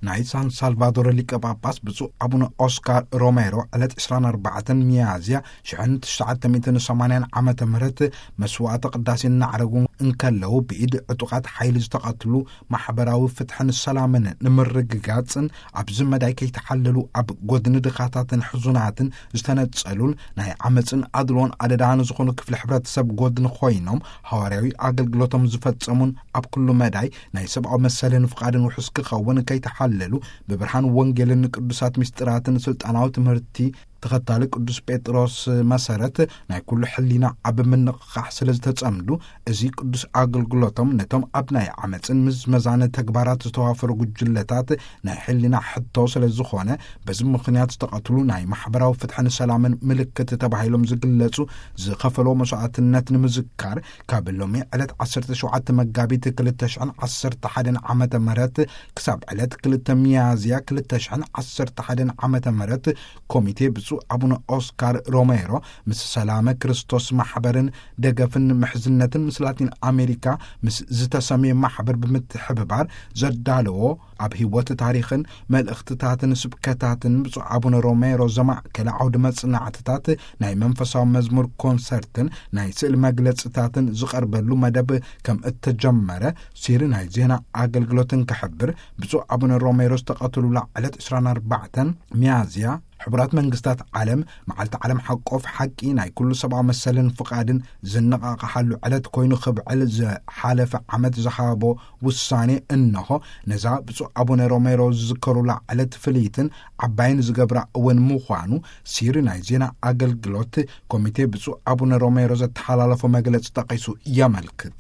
ናይ ሳን ሳልቫዶር ሊቀ ጳጳስ ብፁዕ ኣቡነ ኦስካር ሮሜሮ ዕለት ዕስራን ኣርባዕተን ሚያዝያ ሽሕን ትሽዓተ ሚእትን ሰማንያን ዓመተ ምህረት መስዋዕተ ቅዳሴ እናዕረጉ እንከለዉ፣ ብኢድ ዕጡቓት ሓይሊ ዝተቐትሉ ማሕበራዊ ፍትሕን ሰላምን ንምርግጋጽን ኣብዚ መዳይ ከይተሓለሉ ኣብ ጎድኒ ድኻታትን ሕዙናትን ዝተነጸሉን ናይ ዓመጽን ኣድልዎን ኣደዳ ንዝኾኑ ክፍሊ ሕብረተሰብ ጎድኒ ኮይኖም ሃዋርያዊ ኣገልግሎቶም ዝፈጸሙን ኣብ ኩሉ መዳይ ናይ ሰብኣዊ መሰልን ፍቓድን ውሑስ ክኸውን ከይተሓለሉ ብብርሃን ወንጌልን ቅዱሳት ምስጢራትን ስልጣናዊ ትምህርቲ ተኸታሊ ቅዱስ ጴጥሮስ መሰረት ናይ ኩሉ ሕሊና ኣብ ምንቕቓሕ ስለ ዝተጸምዱ፣ እዚ ቅዱስ ኣገልግሎቶም ነቶም ኣብ ናይ ዓመጽን ምዝመዛን ተግባራት ዝተዋፈሩ ጉጅለታት ናይ ሕሊና ሕቶ ስለ ዝኾነ፣ በዚ ምኽንያት ዝተቐትሉ ናይ ማሕበራዊ ፍትሕን ሰላምን ምልክት ተባሂሎም ዝግለጹ ዝኸፈሎ መስዋዕትነት ንምዝካር፣ ካብ ሎሚ ዕለት ዓሰርተ ሸውዓተ መጋቢት ክልተ ሽሕን ዓሰርተ ሓደን ዓመተ ምህረት ክሳብ ዕለት ክልተ ሚያዝያ ክልተ ሽሕን ዓሰርተ ሓደን ዓመተ ምህረት ኮሚቴ ብፁዕ ኣቡነ ኦስካር ሮሜሮ ምስ ሰላመ ክርስቶስ ማሕበርን ደገፍን ምሕዝነትን ምስ ላቲን ኣሜሪካ ምስ ዝተሰምየ ማሕበር ብምትሕብባር ዘዳለዎ ኣብ ህይወት ታሪኽን መልእኽትታትን ስብከታትን ብፁዕ ኣቡነ ሮሜሮ ዘማእከለ ዓውዲ መጽናዕትታት ናይ መንፈሳዊ መዝሙር ኮንሰርትን ናይ ስእል መግለጽታትን ዝቐርበሉ መደብ ከም እተጀመረ ሲሪ ናይ ዜና ኣገልግሎትን ክሕብር ብፁዕ ኣቡነ ሮሜሮ ዝተቐትሉላ ዕለት ዕስራን ኣርባዕተን ሚያዝያ ሕቡራት መንግስታት ዓለም መዓልቲ ዓለም ሓቆፍ ሓቂ ናይ ኩሉ ሰብኣዊ መሰልን ፍቓድን ዝነቓቕሓሉ ዕለት ኮይኑ ክብዕል ዝሓለፈ ዓመት ዝሃቦ ውሳኔ እንሆ ነዛ ብፁዕ ኣቡነ ሮሜሮ ዝዝከሩላ ዕለት ፍልይትን ዓባይን ዝገብራ እውን ምዃኑ ሲሪ ናይ ዜና ኣገልግሎት ኮሚቴ ብፁዕ ኣቡነ ሮሜሮ ዘተሓላለፎ መግለጺ ጠቒሱ የመልክት።